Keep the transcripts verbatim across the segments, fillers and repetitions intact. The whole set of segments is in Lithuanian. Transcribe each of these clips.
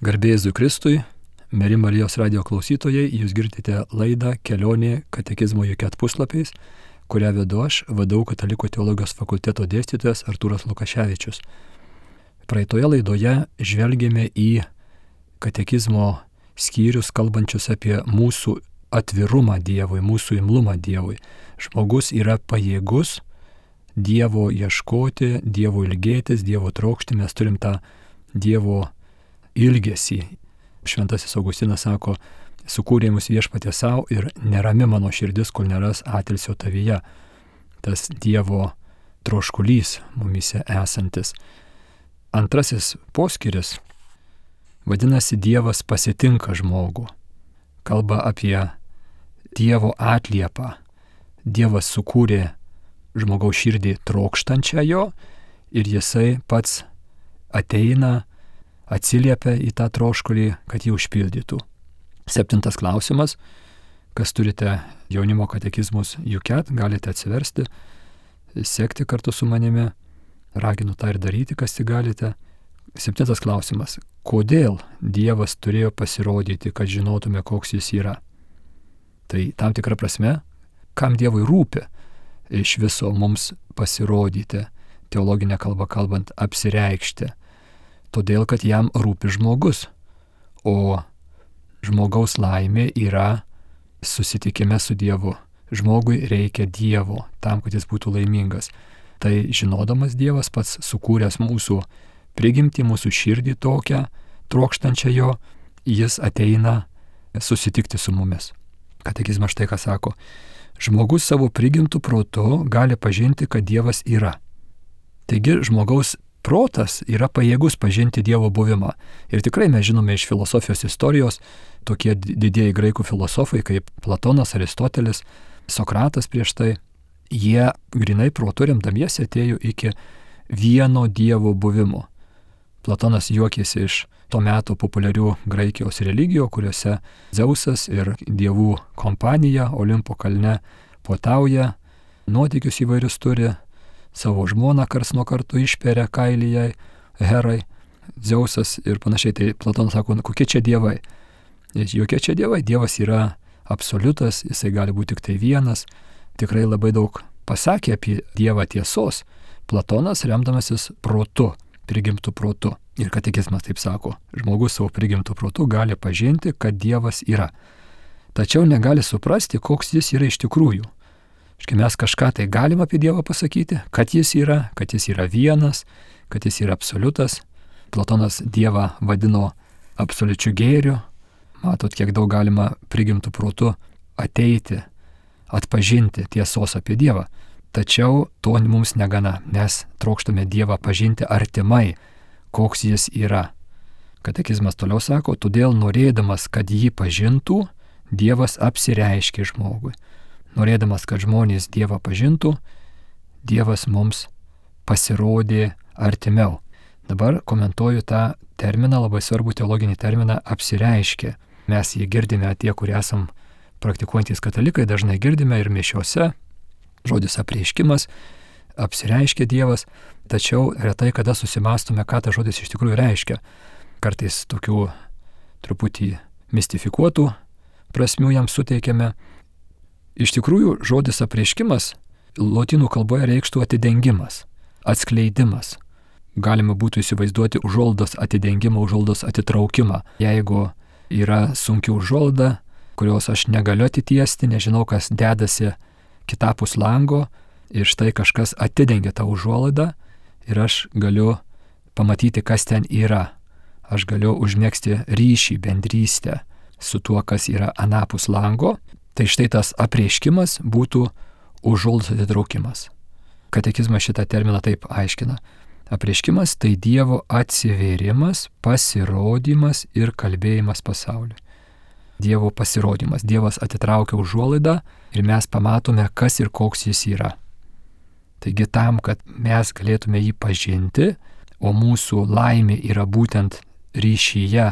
Garbė Jėzui Kristui, mieli Marijos radijo klausytojai, jūs girdite laidą Kelionė katekizmo Juket puslapiais, kurią vedu aš, V D U Katalikų teologijos fakulteto dėstytojas Artūras Lukaševičius. Praeitoje laidoje žvelgėme į katekizmo skyrius, kalbančius apie mūsų atvirumą Dievui, mūsų imlumą Dievui. Žmogus yra pajėgus Dievo ieškoti, Dievo ilgėtis, Dievo trokšti, mes turim tą Dievo ilgesį. Šventasis Augustinas sako, sukūrė mus viešpatė savo ir nerami mano širdis, kol neras atilsio tavyje. Tas Dievo troškulys mumise esantis. Antrasis poskyris vadinasi Dievas pasitinka žmogų. Kalba apie Dievo atliepą. Dievas sukūrė žmogaus širdį trokštančią jo ir jisai pats ateina, atsiliepia į tą troškulį, kad jį užpildytų. Septintas klausimas. Kas turite jaunimo katekizmus Juket, galite atsiversti, sekti kartu su manimi. Raginu tą ir daryti, kas tik galite. Septintas klausimas. Kodėl Dievas turėjo pasirodyti, kad žinotume, koks jis yra? Tai tam tikra prasme, kam Dievui rūpi iš viso mums pasirodyti, teologinę kalbą kalbant, apsireikšti. Todėl, kad jam rūpi žmogus, o žmogaus laimė yra susitikime su Dievu. Žmogui reikia Dievo tam, kad jis būtų laimingas. Tai žinodamas Dievas pats sukūręs mūsų prigimtį, mūsų širdį tokią, trokštančią jo, jis ateina susitikti su mumis. Katekizmas štai ką sako. Žmogus savo prigimtų protu gali pažinti, kad Dievas yra. Taigi žmogaus protas yra pajėgus pažinti Dievo buvimą. Ir tikrai mes žinome iš filosofijos istorijos, tokie didieji graikų filosofai kaip Platonas, Aristotelis, Sokratas prieš tai, jie grinai protu remdamiesi atėjo iki vieno Dievo buvimo. Platonas juokėsi iš to meto populiarių Graikijos religijų, kuriuose Dzeusas ir dievų kompanija Olimpo kalne puotauja, nuotykius įvairius turi, savo žmoną kars nuo karto išperia kailyje Herai, Dzeusas ir panašiai. Tai Platonas sako, kokie čia dievai? Jokie čia dievai, Dievas yra absoliutas, jisai gali būti tik tai vienas. Tikrai labai daug pasakė apie Dievą tiesos Platonas, remdamasis protu, prigimtų protu. Ir katekizmas taip sako, žmogus savo prigimtų protu gali pažinti, kad Dievas yra. Tačiau negali suprasti, koks jis yra iš tikrųjų. Štai mes kažką tai galim apie Dievą pasakyti, kad jis yra, kad jis yra vienas, kad jis yra absoliutas. Platonas Dievą vadino absoliučiu gėriu. Matot, kiek daug galima prigimtų protu ateiti, atpažinti tiesos apie Dievą. Tačiau to mums negana. Mes trokštame Dievą pažinti artimai, koks jis yra. Katekizmas toliau sako, todėl norėdamas, kad jį pažintų, Dievas apsireiškė žmogui. Norėdamas, kad žmonės Dievą pažintų, Dievas mums pasirodė artimiau. Dabar komentuoju tą terminą, labai svarbų teologinį terminą apsireiškė. Mes jį girdime, tie, kurie esam praktikuojantys katalikai, dažnai girdime ir mišiose. Žodis apreiškimas, apsireiškė Dievas, tačiau retai kada susimastome, ką tas žodis iš tikrųjų reiškia. Kartais tokių truputį mistifikuotų prasmių jam suteikiame. Iš tikrųjų, žodis apreiškimas lotynų kalboje reikštų atidengimas, atskleidimas. Galima būtų įsivaizduoti užuolaidos atidengimą, užuolaidos atitraukimą. Jeigu yra sunki užuolaida, kurios aš negaliu atitiesti, nežinau, kas dedasi kitapus lango, ir štai kažkas atidengia tą užuolaidą ir aš galiu pamatyti, kas ten yra. Aš galiu užmegzti ryšį, bendrystę su tuo, kas yra anapus lango. Tai štai tas apreiškimas būtų užuolaidos atitraukimas. Katekizmas šitą terminą taip aiškina. Apreiškimas tai Dievo atsivėrimas, pasirodymas ir kalbėjimas pasauliui. Dievo pasirodymas. Dievas atitraukia užuolaidą ir mes pamatome, kas ir koks jis yra. Taigi tam, kad mes galėtume jį pažinti, o mūsų laimė yra būtent ryšyje,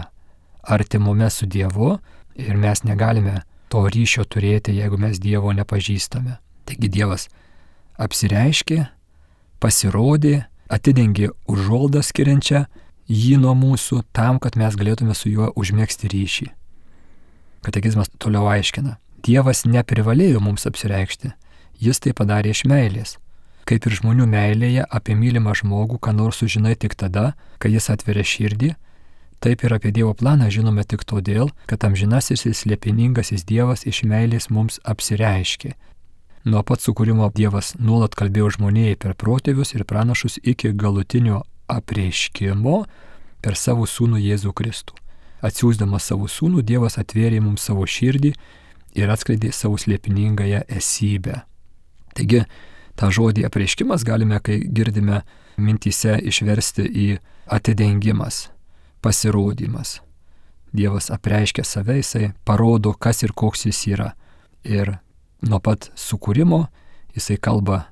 artimume su Dievu, ir mes negalime to ryšio turėti, jeigu mes Dievo nepažįstame. Taigi Dievas apsireiškė, pasirodė, atidengė užuolaidą skiriančią jį nuo mūsų tam, kad mes galėtume su juo užmėgsti ryšį. Katekizmas toliau aiškina. Dievas neprivalėjo mums apsireikšti, jis tai padarė iš meilės. Kaip ir žmonių meilėje apie mylimą žmogų, ką nors sužinai tik tada, kai jis atveria širdį, taip ir apie Dievo planą žinome tik todėl, kad amžinasis ir slėpiningasis Dievas iš meilės mums apsireiškė. Nuo pat sukūrimo Dievas nuolat kalbėjo žmonijai per protėvius ir pranašus iki galutinio apreiškimo per savo sūnų Jėzų Kristų. Atsiųsdamas savo sūnų, Dievas atvėrė mums savo širdį ir atskleidė savo slėpiningąją esybę. Taigi, tą žodį apreiškimas galime, kai girdime mintyse, išversti į atidengimas, pasirodymas. Dievas apreiškia save, jisai parodo, kas ir koks jis yra. Ir nuo pat sukūrimo jisai kalba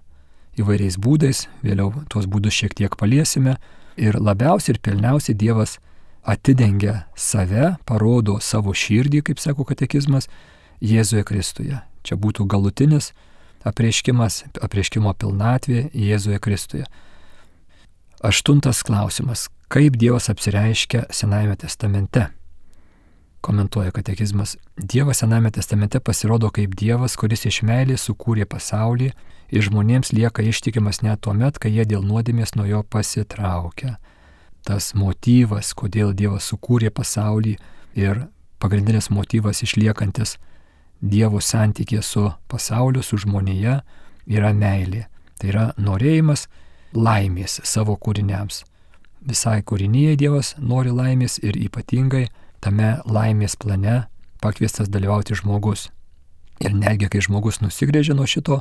įvairiais būdais, vėliau tuos būdus šiek tiek paliesime. Ir labiausiai ir pilniausiai Dievas atidengia save, parodo savo širdį, kaip sako katekizmas, Jėzuje Kristuje. Čia būtų galutinis apreiškimas, apreiškimo pilnatvė Jėzuje Kristuje. Aštuntas klausimas. Kaip Dievas apsireiškia Senajame testamente? Komentuoja katekizmas. Dievas Senajame testamente pasirodo kaip Dievas, kuris iš meilės sukūrė pasaulį ir žmonėms lieka ištikimas net tuo met, kai jie dėl nuodėmės nuo jo pasitraukia. Tas motyvas, kodėl Dievas sukūrė pasaulį ir pagrindinis motyvas išliekantis Dievo santykė su pasauliu, su žmonėje, yra meilė. Tai yra norėjimas laimės savo kūriniams. Visai kūrinyje Dievas nori laimės ir ypatingai tame laimės plane pakviestas dalyvauti žmogus. Ir netgi kai žmogus nusigrėžė nuo šito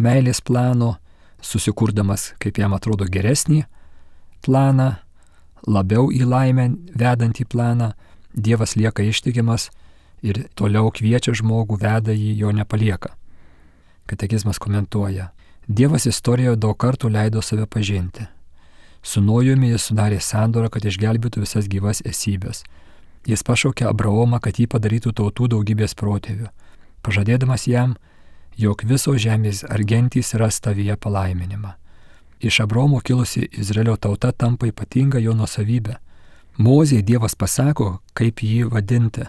meilės plano, susikurdamas, kaip jam atrodo, geresnį planą, labiau į laimę vedantį planą, Dievas lieka ištikimas ir toliau kviečia žmogų, veda jį, jo nepalieka. Katekizmas komentuoja. Dievas istorijoje daug kartų leido save pažinti. Su Nojumi jis sudarė sandorą, kad išgelbėtų visas gyvas esybės. Jis pašaukė Abraomą, kad jį padarytų tautų daugybės protėvių, pažadėdamas jam, jog visos žemės ar gentys ras tavyje palaiminimą. Iš Abraomo kilusi Izraelio tauta tampa ypatinga jo nuosavybė. Mozei Dievas pasako, kaip jį vadinti.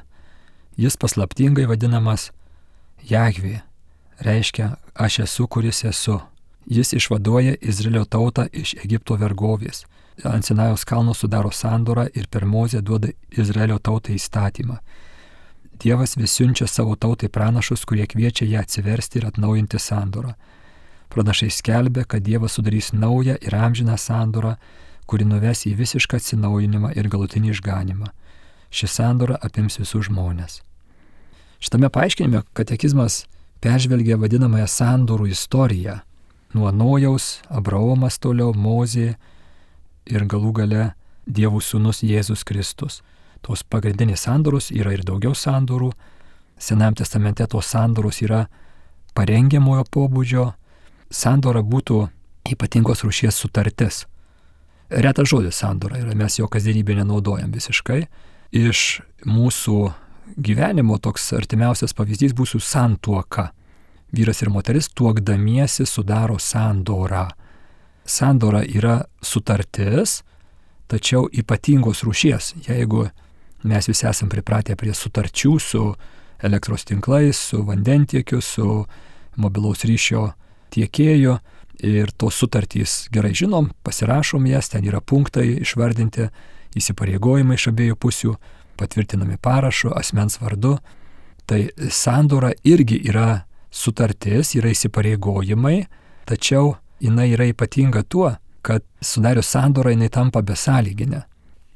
Jis paslaptingai vadinamas Jahvė, reiškia aš esu, kuris esu. Jis išvaduoja Izraelio tautą iš Egipto vergovės. Ant Sinajaus kalno sudaro sandorą ir per Mozę duoda Izraelio tautai įstatymą. Dievas vis siunčia savo tautai pranašus, kurie kviečia ją atsiversti ir atnaujinti sandorą. Pranašai skelbia, kad Dievas sudarys naują ir amžiną sandorą, kuri nuves į visišką atsinaujinimą ir galutinį išganimą. Ši sandora apims visus žmonės. Šitame paaiškinime katekizmas peržvelgia vadinamąją sandorų istoriją. Nuo Nojaus, Abraomas toliau, Mozė ir galų gale Dievo sūnus Jėzus Kristus. Tos pagrindinės sandoros yra ir daugiau sandorų. Senajame testamente tos sandoros yra parengiamojo pobūdžio. Sandora būtų ypatingos rūšies sutartis. Retas žodis sandora yra, mes jo kasdienybėje nenaudojam visiškai. Iš mūsų gyvenimo toks artimiausias pavyzdys būtų santuoka. Vyras ir moteris tuokdamiesi sudaro sandorą. Sandora yra sutartis, tačiau ypatingos rūšies. Jeigu mes visi esam pripratę prie sutarčių su elektros tinklais, su vandentiekiu, su mobilaus ryšio tiekėju ir tos sutartys gerai žinom, pasirašom jas, ten yra punktai išvardinti, įsipareigojimai iš abiejų pusių, patvirtinami parašu, asmens vardu. Tai sandora irgi yra sutartis, yra įsipareigojimai, tačiau jinai yra ypatinga tuo, kad sudarius sandorą jinai tampa besąlyginė.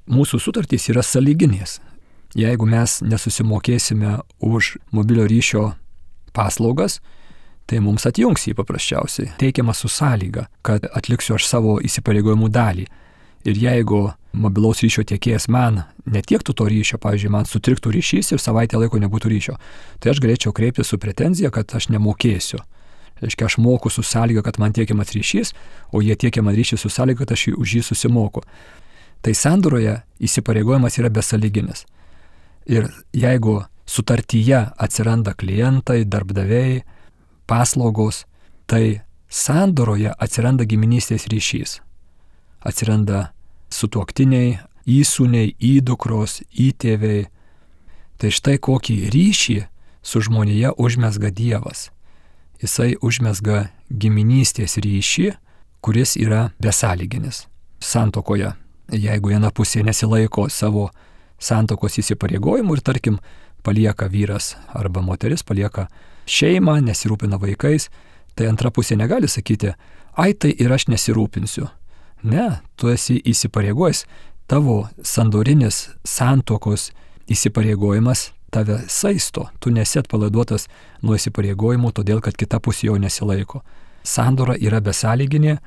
Mūsų sutartys yra sąlyginės. Jeigu mes nesusimokėsime už mobilio ryšio paslaugas, tai mums atjungs jį paprasčiausiai. Teikiama su sąlyga, kad atliksiu aš savo įsipareigojimų dalį. Ir jeigu mobilaus ryšio tiekėjas man netiektų to ryšio, pavyzdžiui, man sutriktų ryšys ir savaitę laiko nebūtų ryšio, tai aš galėčiau kreiptis su pretenzija, kad aš nemokėsiu. Reiškia, aš moku su sąlyga, kad man tiekiamas ryšys, o jie tiekia man ryšį su sąlyga, kad aš už jį susimoku. Tai sandoroje įsipareigojimas yra besąlyginis. Ir jeigu sutartyje atsiranda klientai, darbdaviai, paslaugos, tai sandoroje atsiranda giminystės ryšys. Atsiranda sutuoktiniai, įsūniai, įdukros, įtėviai. Tai štai kokį ryšį su žmonija užmesga Dievas. Jisai užmesga giminystės ryšį, kuris yra besąlyginis. Santuokoje, jeigu viena pusė nesilaiko savo santuokos įsipareigojimų ir tarkim palieka vyras arba moteris, palieka šeimą, nesirūpina vaikais, tai antra pusė negali sakyti, ai tai ir aš nesirūpinsiu. Ne, tu esi įsipareigojęs, tavo sandorinis santuokos įsipareigojimas tave saisto, tu nesi atpalaiduotas nuo įsipareigojimų, todėl kad kita pusė jo nesilaiko. Sandora yra besąlyginė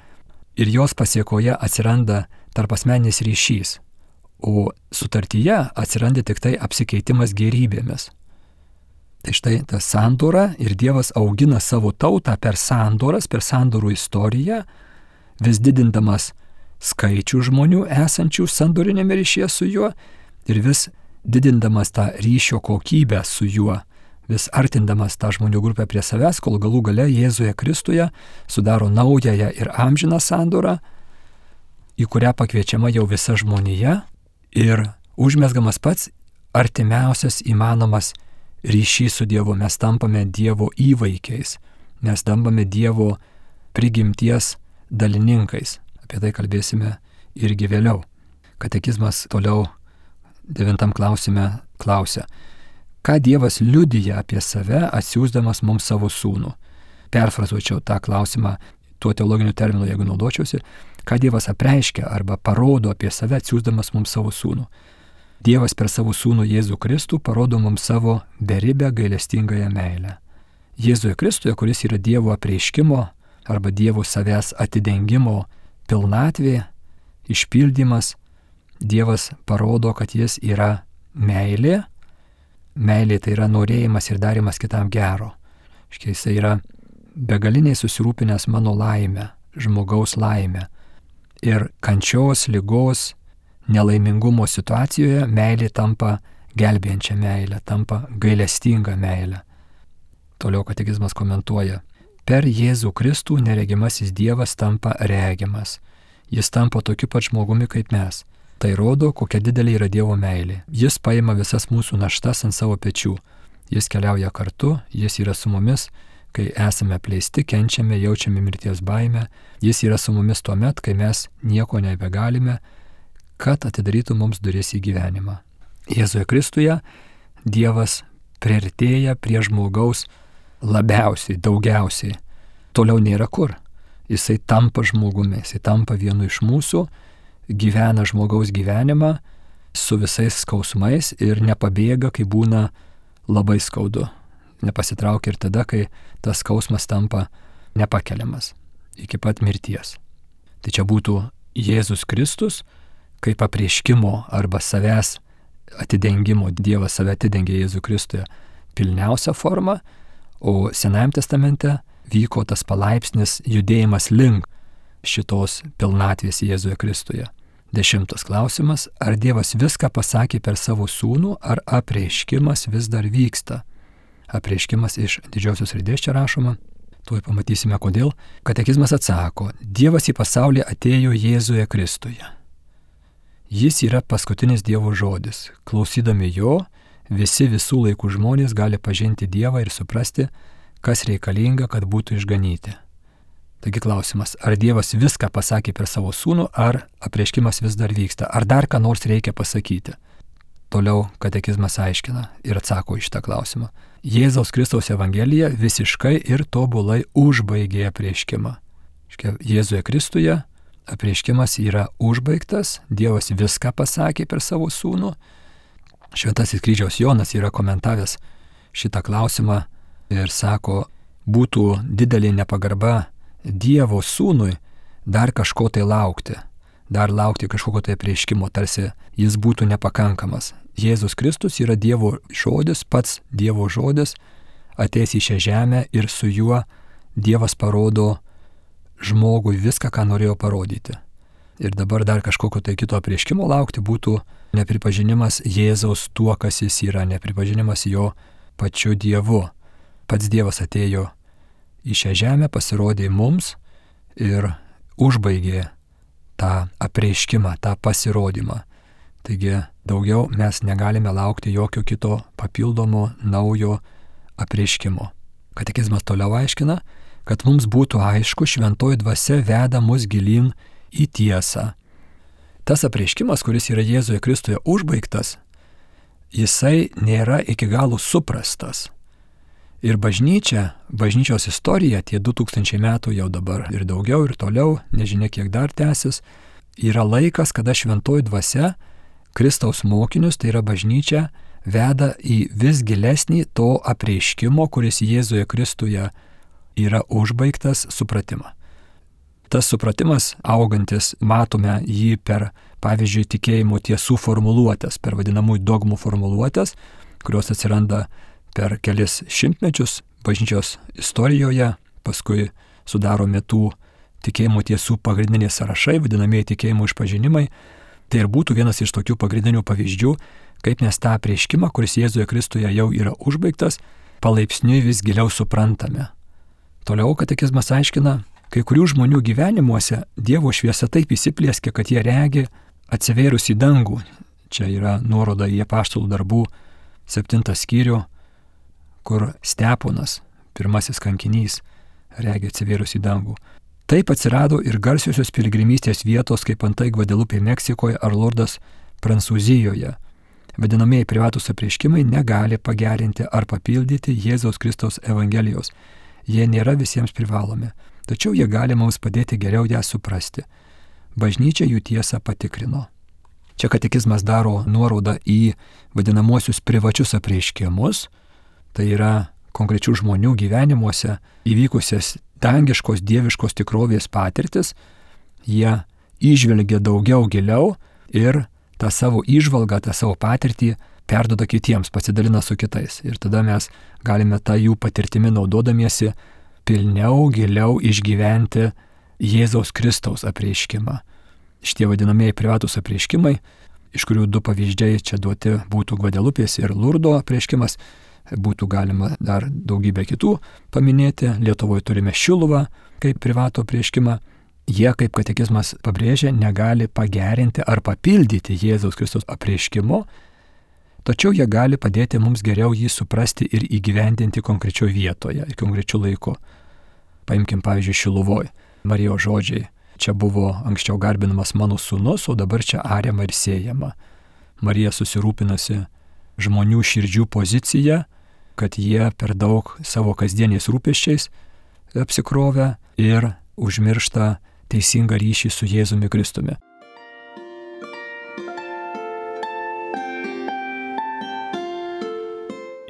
ir jos pasiekoje atsiranda tarpasmeninis ryšys, o sutartyje atsiranda tik tai apsikeitimas gėrybėmis. Tai štai ta sandora ir Dievas augina savo tautą per sandoras, per sandorų istoriją, vis didindamas skaičių žmonių esančių sandorinėme ryšyje su juo ir vis didindamas tą ryšio kokybę su juo, vis artindamas tą žmonių grupę prie savęs, kol galų gale Jėzuje Kristuje sudaro naująją ir amžiną sandorą, į kurią pakviečiama jau visa žmonija ir užmesgamas pats artimiausias įmanomas ryšys su Dievu. Mes tampame Dievo įvaikiais, mes tampame Dievo prigimties dalininkais. Apie tai kalbėsime irgi vėliau. Katekizmas toliau devintam klausime klausia, ką Dievas liudija apie save atsiųsdamas mums savo sūnų. Perfrazuočiau tą klausimą tuo teologiniu terminu, jeigu naudočiausi, ką Dievas apreiškia arba parodo apie save atsiųsdamas mums savo sūnų. Dievas per savo sūnų Jėzų Kristų parodo mums savo beribę gailestingąją meilę. Jėzuje Kristuje, kuris yra Dievo apreiškimo arba Dievo savęs atidengimo pilnatvė, išpildymas, Dievas parodo, kad jis yra meilė. Meilė tai yra norėjimas ir darimas kitam gero. Štai jis yra begaliniai susirūpinęs mano laimę, žmogaus laimę. Ir kančios, ligos, nelaimingumo situacijoje meilė tampa gelbėjančia meilė, tampa gailestinga meilė. Toliau katekizmas komentuoja. Per Jėzų Kristų neregimasis Dievas tampa regimas. Jis tampa tokiu pat žmogumi kaip mes. Tai rodo, kokia didelė yra Dievo meilė. Jis paima visas mūsų naštas ant savo pečių. Jis keliauja kartu, jis yra su mumis, kai esame apleisti, kenčiame, jaučiame mirties baimę. Jis yra su mumis tuomet, kai mes nieko nebegalime, kad atidarytų mums duris į gyvenimą. Jėzuje Kristuje Dievas priartėja prie žmogaus labiausiai, daugiausiai. Toliau nėra kur. Jisai tampa žmogumi, jisai tampa vienu iš mūsų, gyvena žmogaus gyvenimą su visais skausmais ir nepabėga, kai būna labai skaudu. Nepasitraukia ir tada, kai tas skausmas tampa nepakeliamas iki pat mirties. Tai čia būtų Jėzus Kristus kaip apreiškimo arba savęs atidengimo, Dievas save atidengė Jėzų Kristuje pilniausia forma, o Senajame testamente vyko tas palaipsnis judėjimas link šitos pilnatvės Jėzuje Kristuje. Dešimtas klausimas. Ar Dievas viską pasakė per savo sūnų, ar apreiškimas vis dar vyksta? Apreiškimas iš didžiosios raidės čia rašoma. Tuoj pamatysime kodėl. Katekizmas atsako. Dievas į pasaulį atėjo Jėzuje Kristuje. Jis yra paskutinis Dievo žodis. Klausydami jo, visi visų laikų žmonės gali pažinti Dievą ir suprasti, kas reikalinga, kad būtų išganyti. Taigi klausimas, ar Dievas viską pasakė per savo sūnų, ar apreiškimas vis dar vyksta, ar dar ką nors reikia pasakyti. Toliau katekizmas aiškina ir atsako į šitą klausimą. Jėzaus Kristaus Evangelija visiškai ir tobulai užbaigė apreiškimą. Jėzuje Kristuje apreiškimas yra užbaigtas, Dievas viską pasakė per savo sūnų. Šventasis kryžiaus Jonas yra komentavęs šitą klausimą ir sako, būtų didelė nepagarba Dievo sūnui dar kažko tai laukti, dar laukti kažkokio tai apreiškimo, tarsi jis būtų nepakankamas. Jėzus Kristus yra Dievo žodis, pats Dievo žodis, ateis į šią žemę ir su juo Dievas parodo žmogui viską, ką norėjo parodyti. Ir dabar dar kažkokio tai kito apreiškimo laukti būtų nepripažinimas Jėzaus tuo, kas jis yra, nepripažinimas jo pačiu Dievu. Pats Dievas atėjo į šią žemę, pasirodė mums ir užbaigė tą apreiškimą, tą pasirodymą. Taigi daugiau mes negalime laukti jokio kito papildomo naujo apreiškimo. Katekizmas toliau aiškina, kad mums būtų aišku, šventoji dvasia veda mus gilyn į tiesą. Tas apreiškimas, kuris yra Jėzuje Kristuje užbaigtas, jisai nėra iki galo suprastas. Ir bažnyčia, bažnyčios istorija, tie du tūkstančiai metų jau dabar ir daugiau ir toliau, nežinia kiek dar tęsis, yra laikas, kada šventoji dvasia Kristaus mokinius, tai yra bažnyčia, veda į vis gilesnį to apreiškimo, kuris Jėzuje Kristuje yra užbaigtas, supratimą. Tas supratimas augantis, matome jį per, pavyzdžiui, tikėjimo tiesų formuluotės, per vadinamųjų dogmų formuluotės, kurios atsiranda per kelis šimtmečius bažnyčios istorijoje, paskui sudaromi tų tikėjimo tiesų pagrindiniai sąrašai, vadinamieji tikėjimo išpažinimai. Tai ir būtų vienas iš tokių pagrindinių pavyzdžių, kaip mes tą apreiškimą, kuris Jėzuje Kristuje jau yra užbaigtas, palaipsniui vis giliau suprantame. Toliau katekizmas aiškina, kai kurių žmonių gyvenimuose Dievo šviesa taip įsiplieskia, kad jie regi atsivėrus į dangų. Čia yra nuoroda į apaštalų darbų septintą skyrių, kur Steponas, pirmasis kankinys, regi atsivėrus į dangų. Taip atsirado ir garsiosios piligrimystės vietos, kaip antai Gvadelupė Meksikoje ar Lordas Prancūzijoje. Vadinamieji privatus apreiškimai negali pagerinti ar papildyti Jėzaus Kristaus Evangelijos. Jie nėra visiems privalomi, tačiau jie gali mums padėti geriau ją suprasti. Bažnyčia jų tiesą patikrino. Čia katekizmas daro nuorodą į vadinamosius privačius apreiškimus, tai yra konkrečių žmonių gyvenimuose įvykusias dangiškos dieviškos tikrovės patirtis. Jie įžvelgia daugiau giliau ir tą savo įžvalgą, tą savo patirtį perduoda kitiems, pasidalina su kitais. Ir tada mes galime tą jų patirtimi naudodamiesi pilniau, giliau išgyventi Jėzaus Kristaus apreiškimą. Šitie vadinamieji privatus apreiškimai, iš kurių du pavyzdžiai čia duoti būtų Gvadelupės ir Lurdo apreiškimas, būtų galima dar daugybę kitų paminėti. Lietuvoje turime Šiluvą kaip privatų apreiškimą. Jie, kaip katekizmas pabrėžia, negali pagerinti ar papildyti Jėzaus Kristaus apreiškimo, tačiau jie gali padėti mums geriau jį suprasti ir įgyvendinti konkrečioje vietoje, konkrečiu laiku. Paimkim pavyzdžiui Šiluvoj, Marijos žodžiai. Čia buvo anksčiau garbinamas mano sūnus, o dabar čia ariama ir siejama. Marija susirūpinasi žmonių širdžių poziciją, kad jie per daug savo kasdieniais rūpesčiais apsikrovę ir užmiršta teisingą ryšį su Jėzumi Kristumi.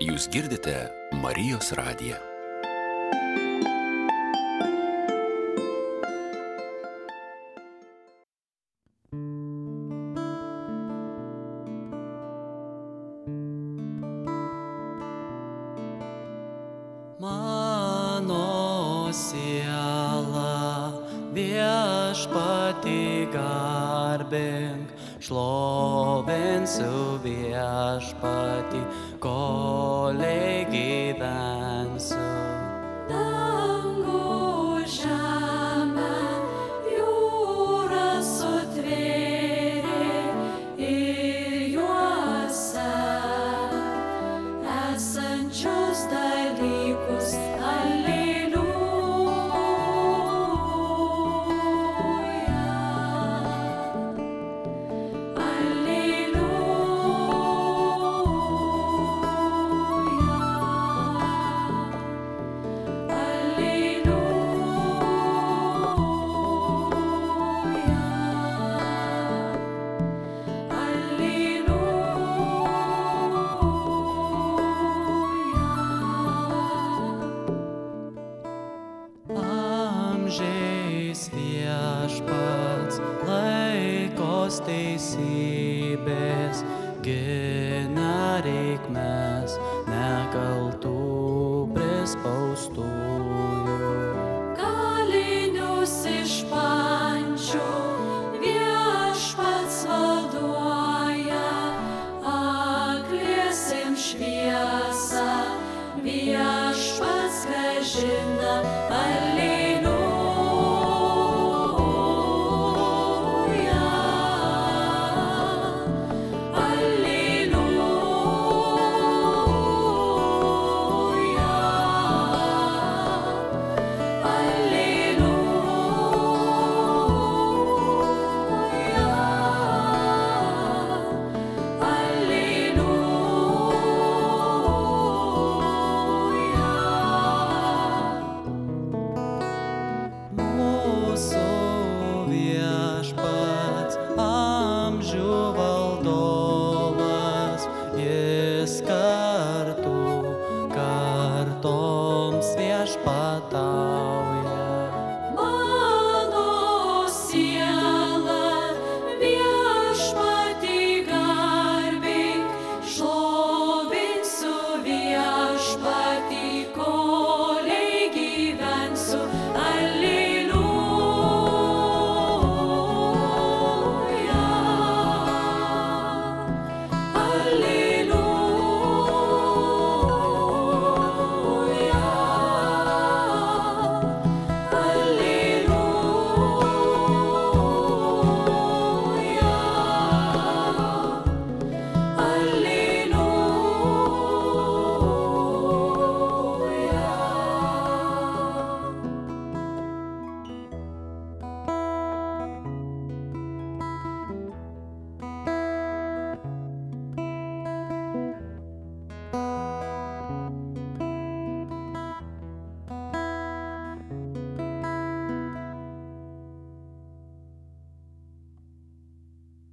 Jūs girdite Marijos radiją. Mano siela viešpatį garbink, šlovinsiu viešpatį, kolei gyvensiu. Dangų žemę jūra sutvėrė ir juose esančius dalykus. Teisybės gina reikmes nekaltų prispaustųjų. Kalinius iš pančių viešpats vaduoja, akliesiem šviesą viešpats grąžina. Alleluja.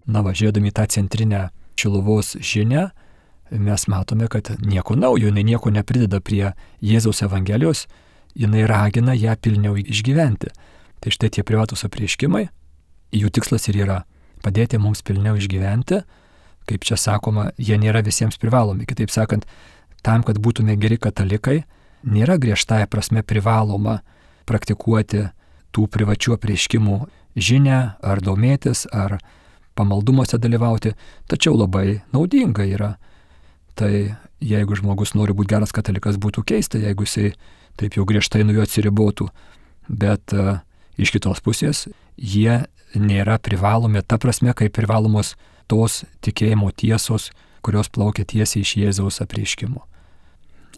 Na, važiuodami tą centrinę Šiluvos žinią, mes matome, kad nieko naujo, jinai nieko neprideda prie Jėzaus Evangelijos, jinai ragina ją pilniau išgyventi. Tai štai tie privatus apreiškimai, jų tikslas ir yra padėti mums pilniau išgyventi, kaip čia sakoma, jie nėra visiems privalomi. Kitaip sakant, tam, kad būtume geri katalikai, nėra griežtąja prasme privaloma praktikuoti tų privačių apreiškimų žinią, ar domėtis, ar pamaldumuose dalyvauti, tačiau labai naudinga yra. Tai jeigu žmogus nori būti geras katalikas, būtų keista, jeigu jisai taip jau griežtai nuo jo atsiribotų. Bet uh, iš kitos pusės jie nėra privalomi, ta prasme, kaip privalomos tos tikėjimo tiesos, kurios plaukia tiesiai iš Jėzaus apreiškimo.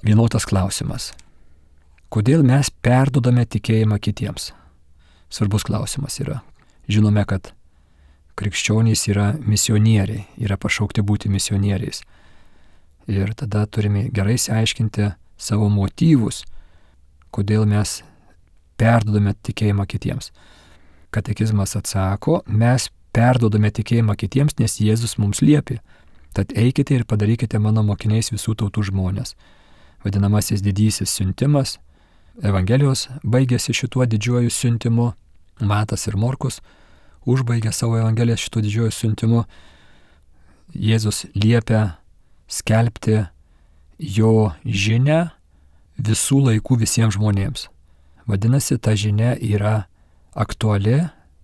Vienotas klausimas. Kodėl mes perdodame tikėjimą kitiems? Svarbus klausimas yra. Žinome, kad krikščionys yra misionieriai, yra pašaukti būti misionieriais. Ir tada turime gerai išsiaiškinti savo motyvus, kodėl mes perdodame tikėjimą kitiems. Katekizmas atsako, mes perdodame tikėjimą kitiems, nes Jėzus mums liepė. Tad eikite ir padarykite mano mokiniais visų tautų žmonės. Vadinamasis didysis siuntimas. Evangelijos baigėsi šituo didžiuoju siuntimu. Matas ir Morkus užbaigė savo Evangeliją šituo didžiuoju siuntimu. Jėzus liepia skelbti jo žinią visų laikų visiems žmonėms. Vadinasi, ta žinia yra aktuali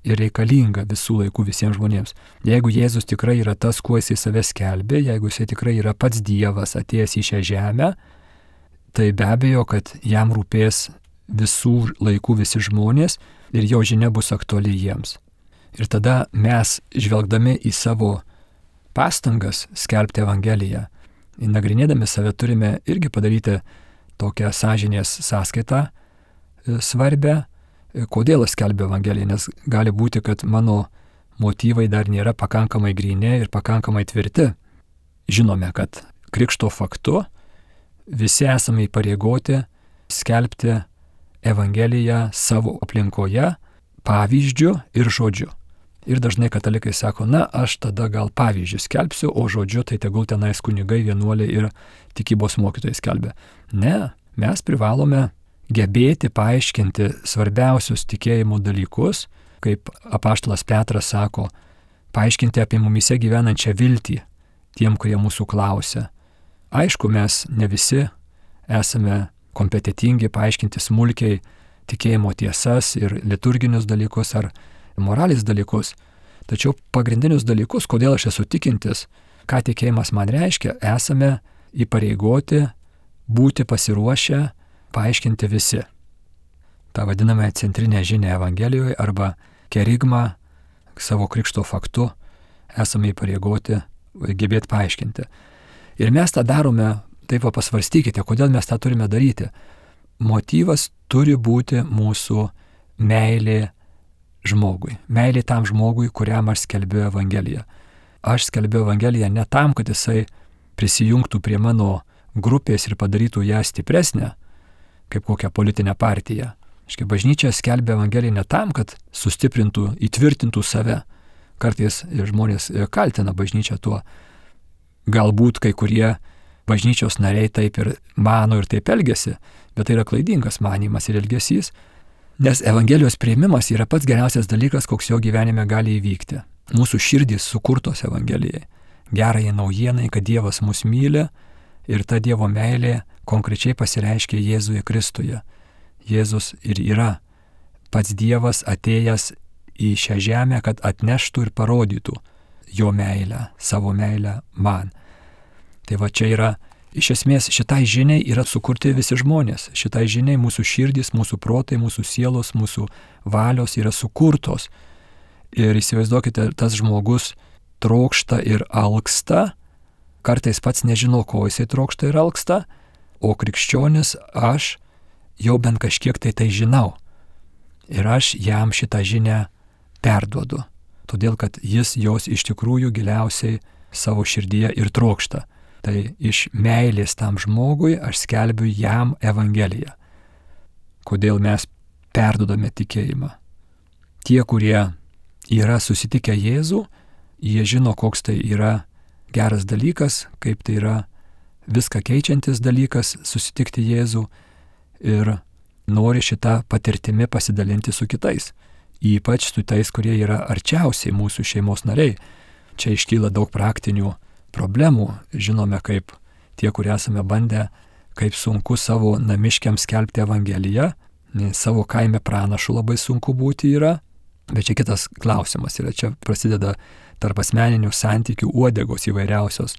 ir reikalinga visų laikų visiems žmonėms. Jeigu Jėzus tikrai yra tas, kuo jisai save skelbė, jeigu jisai tikrai yra pats Dievas atėjęs į šią žemę, tai be abejo, kad jam rūpės visų laikų visi žmonės ir jo žinia bus aktuali jiems. Ir tada mes, žvelgdami į savo pastangas skelbti Evangeliją, nagrinėdami save turime irgi padaryti tokią sąžinės sąskaitą svarbę, kodėl aš skelbiu Evangeliją, nes gali būti, kad mano motyvai dar nėra pakankamai gryni ir pakankamai tvirti. Žinome, kad krikšto faktu visi esame įpareigoti skelbti Evangeliją savo aplinkoje pavyzdžiu ir žodžiu. Ir dažnai katalikai sako, na, aš tada gal pavyzdžių skelbsiu, o žodžiu tai tegul tenais kunigai, vienuoliai ir tikybos mokytojai skelbia. Ne, mes privalome gebėti paaiškinti svarbiausius tikėjimo dalykus, kaip apaštalas Petras sako, paaiškinti apie mumise gyvenančią viltį tiem, kurie mūsų klausia. Aišku, mes ne visi esame kompetitingi paaiškinti smulkiai tikėjimo tiesas ir liturginius dalykus ar moralės dalykus, tačiau pagrindinius dalykus, kodėl aš esu tikintis, ką tikėjimas man reiškia, esame įpareigoti būti pasiruošę paaiškinti visi. Ta vadiname centrinę žinią Evangelijoje arba kerigmą savo krikšto faktu esame įpareigoti gebėti paaiškinti. Ir mes tą darome, taip va pasvarstykite, kodėl mes tą turime daryti. Motyvas turi būti mūsų meilė žmogui. Meilė tam žmogui, kuriam aš skelbiu Evangeliją. Aš skelbiu Evangeliją ne tam, kad jisai prisijungtų prie mano grupės ir padarytų ją stipresnę, kaip kokią politinę partiją. Aiškiai, bažnyčia skelbia Evangeliją ne tam, kad sustiprintų, įtvirtintų save. Kartais žmonės kaltina bažnyčią tuo. Galbūt kai kurie bažnyčios nariai taip ir mano ir taip elgesi, bet tai yra klaidingas manimas ir elgesys, nes Evangelijos priėmimas yra pats geriausias dalykas, koks jo gyvenime gali įvykti. Mūsų širdys sukurtos Evangelijai. Gerai naujienai, kad Dievas mus myli ir ta Dievo meilė konkrečiai pasireiškia Jėzuje Kristuje. Jėzus ir yra pats Dievas atėjęs į šią žemę, kad atneštų ir parodytų jo meilę, savo meilę man. Tai va čia yra, iš esmės šitai žiniai yra sukurti visi žmonės. Šitai žiniai mūsų širdys, mūsų protai, mūsų sielos, mūsų valios yra sukurtos. Ir įsivaizduokite, tas žmogus trokšta ir alksta, kartais pats nežino, ko jisai trokšta ir alksta, o krikščionis aš jau bent kažkiek tai tai žinau. Ir aš jam šitą žinią perduodu, todėl kad jis jos iš tikrųjų giliausiai savo širdyje ir trokšta. Tai iš meilės tam žmogui aš skelbiu jam Evangeliją. Kodėl mes perdodame tikėjimą? Tie, kurie yra susitikę Jėzų, Jie žino, koks tai yra geras dalykas, kaip tai yra viską keičiantis dalykas susitikti Jėzų ir nori šitą patirtimi pasidalinti su kitais, ypač su tais, kurie yra arčiausiai mūsų šeimos nariai. Čia iškyla daug praktinių problemų. Žinome, kaip tie, kurie esame bandę, kaip sunku savo namiškiams skelbti Evangeliją, nes savo kaime pranašu labai sunku būti yra, bet čia kitas klausimas yra, čia prasideda tarp asmeninių santykių uodegos įvairiausios,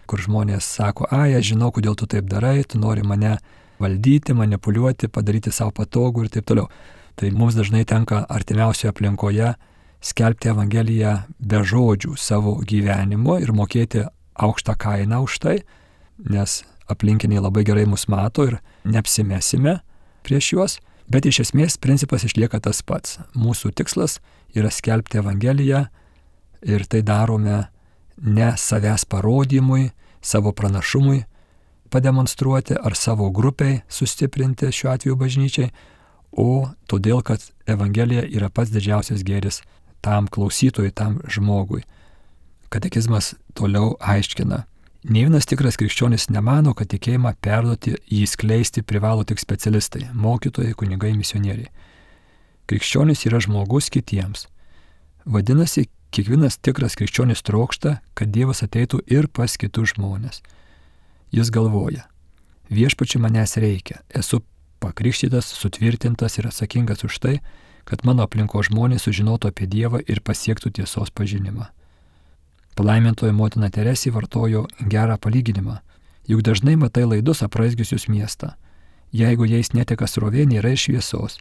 kur žmonės sako, ai, aš žinau, kodėl tu taip darai, tu nori mane valdyti, manipuliuoti, padaryti savo patogų ir taip toliau. Tai mums dažnai tenka artimiausioje aplinkoje skelbti Evangeliją be žodžių savo gyvenimo ir mokėti aukštą kainą už tai, nes aplinkiniai labai gerai mus mato ir neapsimesime prieš juos, bet iš esmės principas išlieka tas pats. Mūsų tikslas yra skelbti Evangeliją ir tai darome ne savęs parodymui, savo pranašumui pademonstruoti ar savo grupiai sustiprinti, šiuo atveju bažnyčiai, o todėl, kad Evangelija yra pats didžiausias gėris tam klausytojui, tam žmogui. Katekizmas toliau aiškina. Nė vienas tikras krikščionis nemano, kad tikėjimą perduoti, jį skleisti privalo tik specialistai, mokytojai, kunigai, misionieriai. Krikščionis yra žmogus kitiems. Vadinasi, kiekvienas tikras krikščionis trokšta, kad Dievas ateitų ir pas kitus žmonės. Jis galvoja, viešpačiui manęs reikia, esu pakrikštytas, sutvirtintas ir atsakingas už tai, kad mano aplinko žmonės sužinotų apie Dievą ir pasiektų tiesos pažinimą. Palaimintoji motina Teresė vartojo gerą palyginimą, juk dažnai matai laidus apraizgiusius miestą. Jeigu jais neteka srovė, nėra ir šviesos.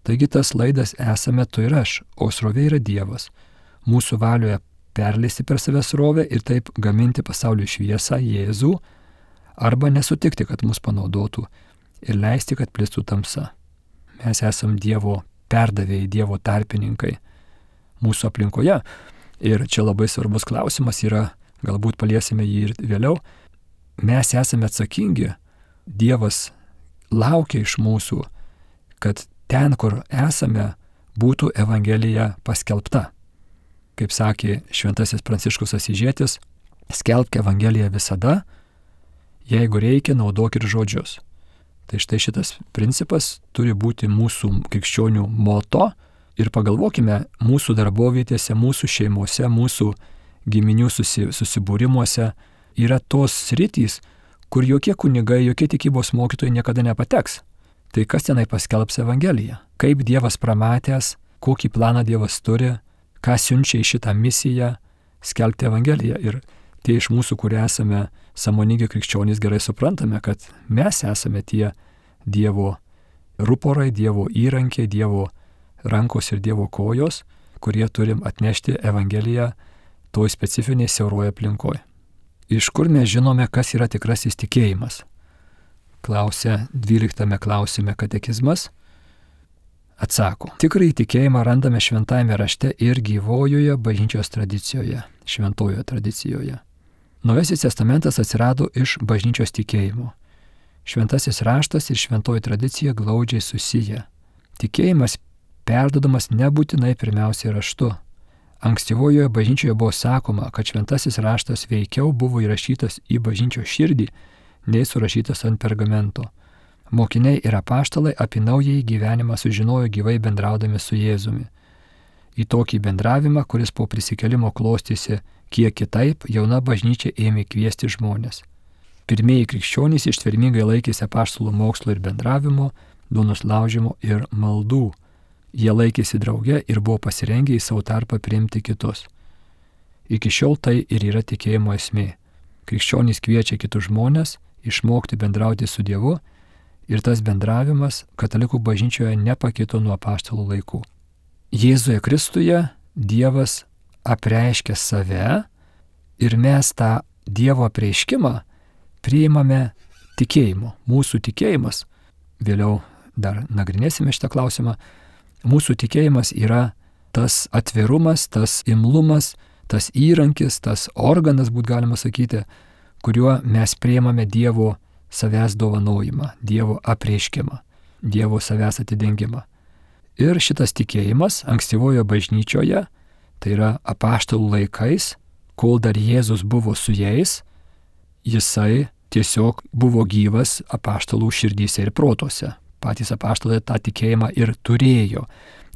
Taigi tas laidas esame tu ir aš, o srovė yra Dievas. Mūsų valioje perleisti per save srovę ir taip gaminti pasaulio šviesą Jėzų, arba nesutikti, kad mus panaudotų ir leisti, kad plistų tamsa. Mes esam Dievo perdavėjai, Dievo tarpininkai mūsų aplinkoje. Ir čia labai svarbus klausimas yra, galbūt paliesime jį ir vėliau. Mes esame atsakingi, Dievas laukia iš mūsų, kad ten, kur esame, būtų Evangelija paskelbta. Kaip sakė šventasis Pranciškus Asyžietis, skelbk Evangeliją visada, jeigu reikia, naudok ir žodžius. Tai štai šitas principas turi būti mūsų krikščionių moto. Ir pagalvokime, mūsų darbovietėse, mūsų šeimose, mūsų giminių susi, susibūrimuose yra tos sritys, kur jokie kunigai, jokie tikybos mokytojai niekada nepateks. Tai kas tenai paskelbs Evangeliją? Kaip Dievas pramatęs, kokį planą Dievas turi, ką siunčia į šitą misiją skelbti Evangeliją. Ir tie iš mūsų, kurie esame sąmoningi krikščionys, gerai suprantame, kad mes esame tie Dievo ruporai, Dievo įrankiai, Dievo rankos ir Dievo kojos, kurie turim atnešti Evangeliją toj specifiniai siauroje aplinkoje. Iš kur mes žinome, kas yra tikrasis tikėjimas? Klausia dvyliktame klausime katekizmas. Atsako. Tikrąjį tikėjimą randame šventajame rašte ir gyvojoje bažnyčios tradicijoje, šventojoje tradicijoje. Naujasis testamentas atsirado iš bažnyčios tikėjimo. Šventasis raštas ir šventoji tradicija glaudžiai susiję. Tikėjimas perdodamas nebūtinai pirmiausiai raštu. Ankstyvojoje bažnyčioje buvo sakoma, kad šventasis raštas veikiau buvo įrašytas į bažnyčios širdį, nei surašytas ant pergamento. Mokiniai ir apaštalai apie naująjį gyvenimą sužinojo gyvai bendraudami su Jėzumi. Į tokį bendravimą, kuris po prisikėlimo klostėsi kiek kitaip, jauna bažnyčia ėmė kviesti žmonės. Pirmieji krikščionys ištvermingai laikėsi apaštalų mokslo ir bendravimo, duonos laužimo ir maldų. Jie laikėsi drauge ir buvo pasirengę į savo tarpą priimti kitus. Iki šiol tai ir yra tikėjimo esmė. Krikščionys kviečia kitus žmonės išmokti bendrauti su Dievu ir tas bendravimas katalikų bažnyčioje nepakito nuo apaštalų laikų. Jėzuje Kristuje Dievas apreiškia save ir mes tą Dievo apreiškimą priimame tikėjimu. Mūsų tikėjimas, vėliau dar nagrinėsime šitą klausimą, mūsų tikėjimas yra tas atvirumas, tas imlumas, tas įrankis, tas organas, būt galima sakyti, kuriuo mes priimame Dievo savęs dovanojimą, Dievo apreiškimą, Dievo savęs atidengimą. Ir šitas tikėjimas ankstyvojo bažnyčioje Tai yra apaštalų laikais, kol dar Jėzus buvo su jais, jisai tiesiog buvo gyvas apaštalų širdyse ir protuose. Patys apaštalai tą tikėjimą ir turėjo.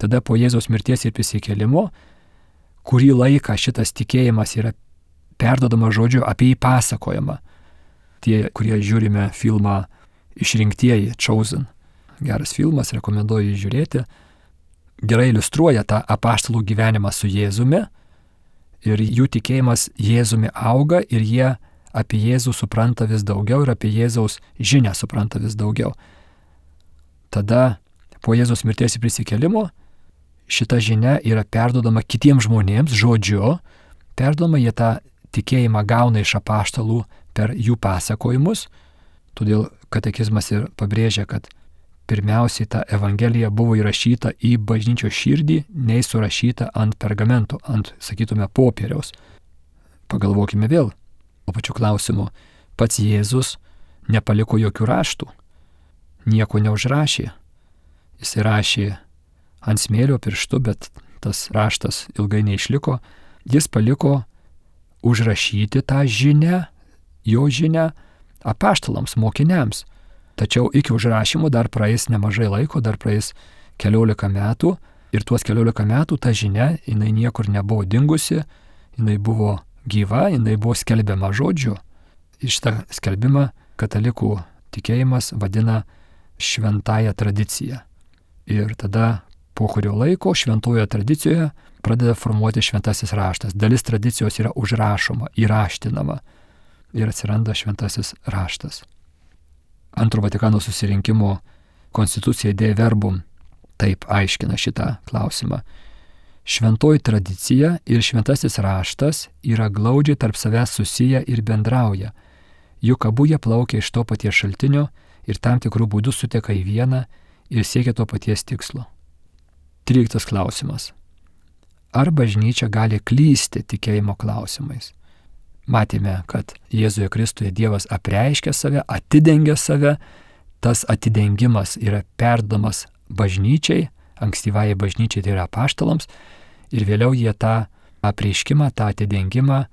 Tada po Jėzaus mirties ir prisikėlimo, kurį laiką šitas tikėjimas yra perduodamas žodžiu, apie jį pasakojama. Tie, kurie žiūrime filmą Išrinktieji, Chosen, geras filmas, rekomenduoju jį žiūrėti, gerai iliustruoja tą apaštalų gyvenimą su Jėzumi ir jų tikėjimas Jėzumi auga ir jie apie Jėzų supranta vis daugiau ir apie Jėzaus žinią supranta vis daugiau. Tada po Jėzaus mirties ir prisikėlimo šita žinia yra perduodama kitiems žmonėms žodžiu, perduodama jie tą tikėjimą gauna iš apaštalų per jų pasakojimus, todėl katekizmas ir pabrėžia, kad pirmiausiai ta evangelija buvo įrašyta į bažnyčios širdį, nei surašyta ant pergamento, ant, sakytume, popieriaus. Pagalvokime vėl, o pačiu klausimu, pats Jėzus nepaliko jokių raštų, nieko neužrašė. Jis rašė ant smėlio pirštu, bet tas raštas ilgai neišliko. Jis paliko užrašyti tą žinią, jo žinią apaštalams, mokiniams. Tačiau iki užrašymo dar praeis nemažai laiko, dar praeis keliolika metų ir tuos keliolika metų ta žinia, jinai niekur nebuvo dingusi, jinai buvo gyva, jinai buvo skelbiama žodžiu. Ir šitą skelbimą katalikų tikėjimas vadina šventąją tradiciją. Ir tada po kurio laiko šventojoje tradicijoje pradeda formuoti šventasis raštas. Dalis tradicijos yra užrašoma, įraštinama ir atsiranda šventasis raštas. Antro Vatikano susirinkimo konstitucija Dei Verbum taip aiškina šitą klausimą. Šventoji tradicija ir šventasis raštas yra glaudžiai tarp savęs susiję ir bendrauja, juk abu jie plaukia iš to paties šaltinio ir tam tikrų būdų suteka į vieną ir siekia to paties tikslo. Tryliktas klausimas. Ar bažnyčia gali klysti tikėjimo klausimais? Matėme, kad Jėzuje Kristuje Dievas apreiškia save, atidengia save, tas atidengimas yra perdamas bažnyčiai, ankstyvajai bažnyčiai, tai yra apaštalams, ir vėliau jie tą apreiškimą, tą atidengimą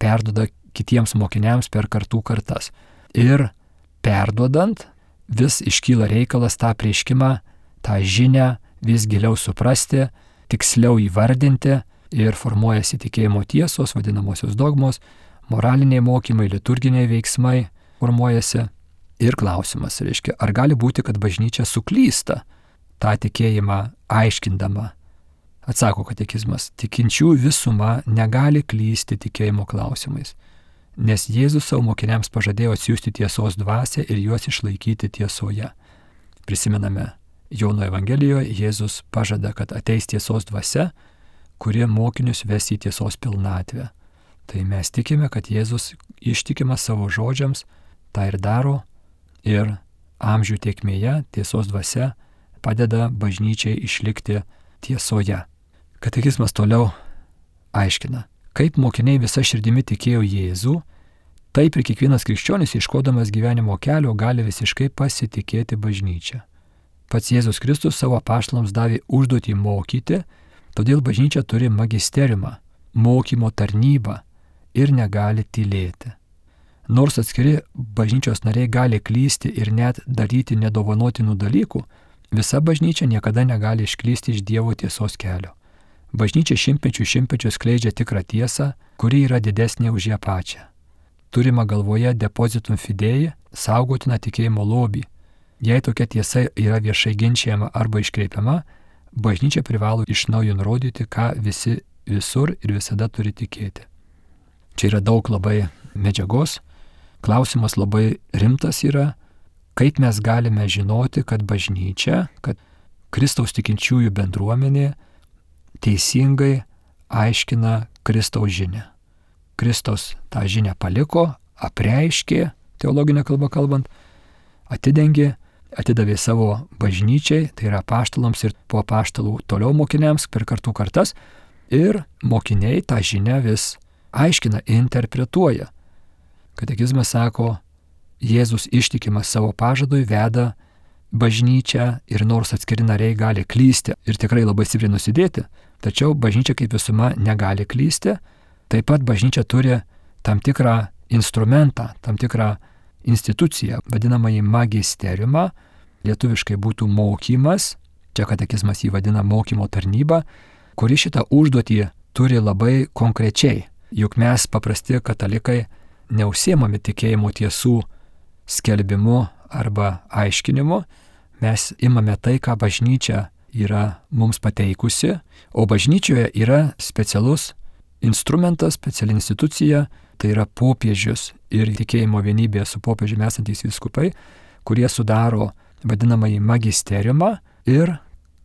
perduoda kitiems mokiniams per kartų kartas. Ir perduodant vis iškyla reikalas tą apreiškimą, tą žinią vis giliau suprasti, tiksliau įvardinti ir formuojasi tikėjimo tiesos, vadinamosios dogmos, moraliniai mokymai, liturginiai veiksmai formuojasi. Ir klausimas, reiškia, ar gali būti, kad bažnyčia suklysta tą tikėjimą aiškindama? Atsako katekizmas, tikinčių visuma negali klysti tikėjimo klausimais, nes Jėzus savo mokiniams pažadėjo atsiųsti tiesos dvasią ir juos išlaikyti tiesoje. Prisimename, Jono Evangelijoje Jėzus pažada, kad ateis tiesos dvasia, kurie mokinius ves į tiesos pilnatvę. Tai mes tikime, kad Jėzus ištikimas savo žodžiams tą ir daro ir amžių tėkmėje tiesos dvasia padeda bažnyčiai išlikti tiesoje. Katekizmas toliau aiškina, kaip mokiniai visa širdimi tikėjo Jėzų, taip ir kiekvienas krikščionis ieškodamas gyvenimo kelio gali visiškai pasitikėti bažnyčia. Pats Jėzus Kristus savo apaštalams davė užduotį mokyti, todėl bažnyčia turi magisteriumą, mokymo tarnybą ir negali tylėti. Nors atskiri bažnyčios nariai gali klysti ir net daryti nedovanotinų dalykų, visa bažnyčia niekada negali išklysti iš Dievo tiesos kelio. Bažnyčia šimtmečių šimtmečius skleidžia tikrą tiesą, kuri yra didesnė už ją pačią. Turima galvoje depositum fidei, saugotina tikėjimo lobį. Jei tokia tiesa yra viešai ginčiama arba iškreipiama, bažnyčia privalo iš naujo nurodyti, ką visi visur ir visada turi tikėti. Čia yra daug labai medžiagos. Klausimas labai rimtas yra, kaip mes galime žinoti, kad bažnyčia, kad Kristaus tikinčiųjų bendruomenė teisingai aiškina Kristaus žinią. Kristus tą žinią paliko, apreiškė, teologinę kalbą kalbant, atidengė, atidavė savo bažnyčiai, tai yra apaštalams ir po apaštalų toliau mokiniams per kartų kartas, ir mokiniai tą žinią vis aiškina, interpretuoja. Katekizmas sako, Jėzus ištikimas savo pažadui veda bažnyčia ir nors atskiri nariai gali klysti ir tikrai labai stipriai nusidėti, tačiau bažnyčia kaip visuma negali klysti. Taip pat bažnyčia turi tam tikrą instrumentą, tam tikrą instituciją, vadinamąjį magisteriumą, lietuviškai būtų mokymas, čia katekizmas jį vadina mokymo tarnyba, kuri šitą užduotį turi labai konkrečiai. Juk mes paprasti katalikai neužsiemame tikėjimo tiesų skelbimu arba aiškinimu, mes imame tai, ką bažnyčia yra mums pateikusi, o bažnyčioje yra specialus instrumentas, speciali institucija, tai yra popiežius ir tikėjimo vienybėje su popiežiumi esantys vyskupai, kurie sudaro vadinamąjį magisteriumą ir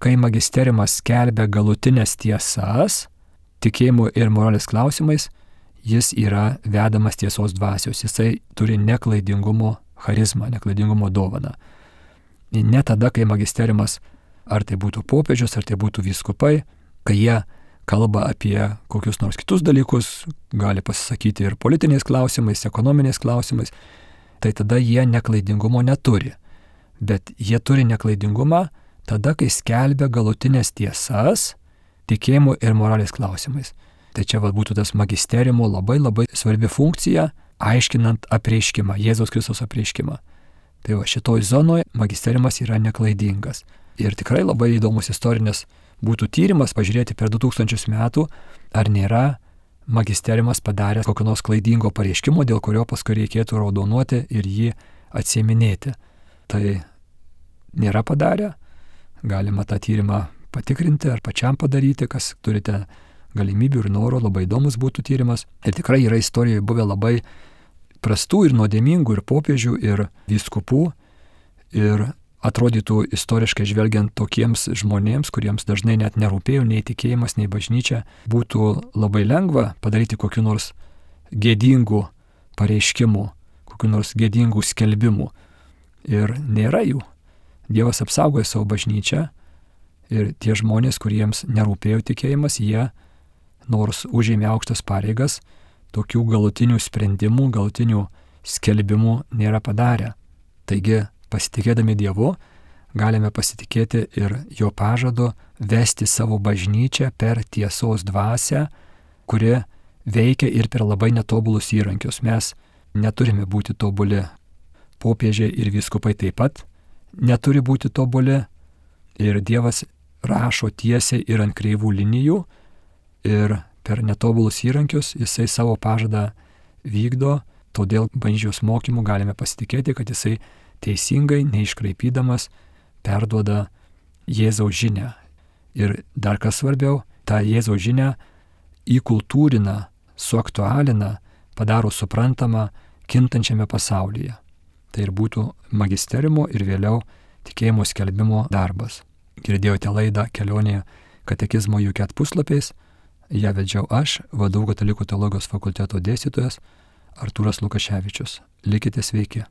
kai magisteriumas skelbia galutinės tiesas, tikėjimo ir moralės klausimais, jis yra vedamas tiesos dvasios, jisai turi neklaidingumo charizmą, neklaidingumo dovaną. Ne tada, kai magisteriumas, ar tai būtų popiežius, ar tai būtų vyskupai, kai jie kalba apie kokius nors kitus dalykus, gali pasisakyti ir politiniais klausimais, ekonominiais klausimais, tai tada jie neklaidingumo neturi. Bet jie turi neklaidingumą tada, kai skelbia galutinės tiesas tikėjimo ir moralės klausimais. Tai čia va, būtų tas magisteriumo labai labai svarbi funkcija, aiškinant apreiškimą, Jėzaus Kristaus apreiškimą. Tai va, šitoj zonoje magisteriumas yra neklaidingas. Ir tikrai labai įdomus istorinis būtų tyrimas pažiūrėti per du tūkstančius metų, ar nėra magisteriumas padaręs kokio nors klaidingo pareiškimo, dėl kurio paskui reikėtų raudonuoti ir jį atsieminėti. Tai nėra padarę, galima tą tyrimą patikrinti ar pačiam padaryti, kas turite galimybių ir noro, labai įdomus būtų tyrimas. Ir tikrai yra istorijoje buvę labai prastų ir nuodėmingų ir popiežių ir vyskupų ir atrodytų istoriškai žvelgiant tokiems žmonėms, kuriems dažnai net nerūpėjo nei tikėjimas, nei bažnyčia, būtų labai lengva padaryti kokiu nors gėdingų pareiškimų, kokiu nors gėdingų skelbimų. Ir nėra jų. Dievas apsaugoja savo bažnyčią ir tie žmonės, kuriems nerūpėjo tikėjimas, jie, nors užėmė aukštas pareigas, tokių galutinių sprendimų, galutinių skelbimų nėra padarę. Taigi, pasitikėdami Dievu, galime pasitikėti ir jo pažadu vesti savo bažnyčią per tiesos dvasią, kuri veikia ir per labai netobulus įrankius. Mes neturime būti tobuli. Popiežiai ir vyskupai taip pat neturi būti tobuli. Ir Dievas rašo tiesiai ir ant kreivų linijų. Ir per netobulus įrankius jisai savo pažadą vykdo. Todėl bažnyčios mokymu galime pasitikėti, kad jisai teisingai, neiškraipydamas, perduoda Jėzaus žinią. Ir dar kas svarbiau, tą Jėzaus žinią įkultūrina, suaktualina, padaro suprantamą kintančiame pasaulyje. Tai ir būtų magisteriumo ir vėliau tikėjimo skelbimo darbas. Girdėjote laidą Kelionė katekizmo U K E T puslapiais. Ją vedžiau aš, V D U Katalikų teologijos fakulteto dėstytojas Artūras Lukaševičius. Likite sveiki.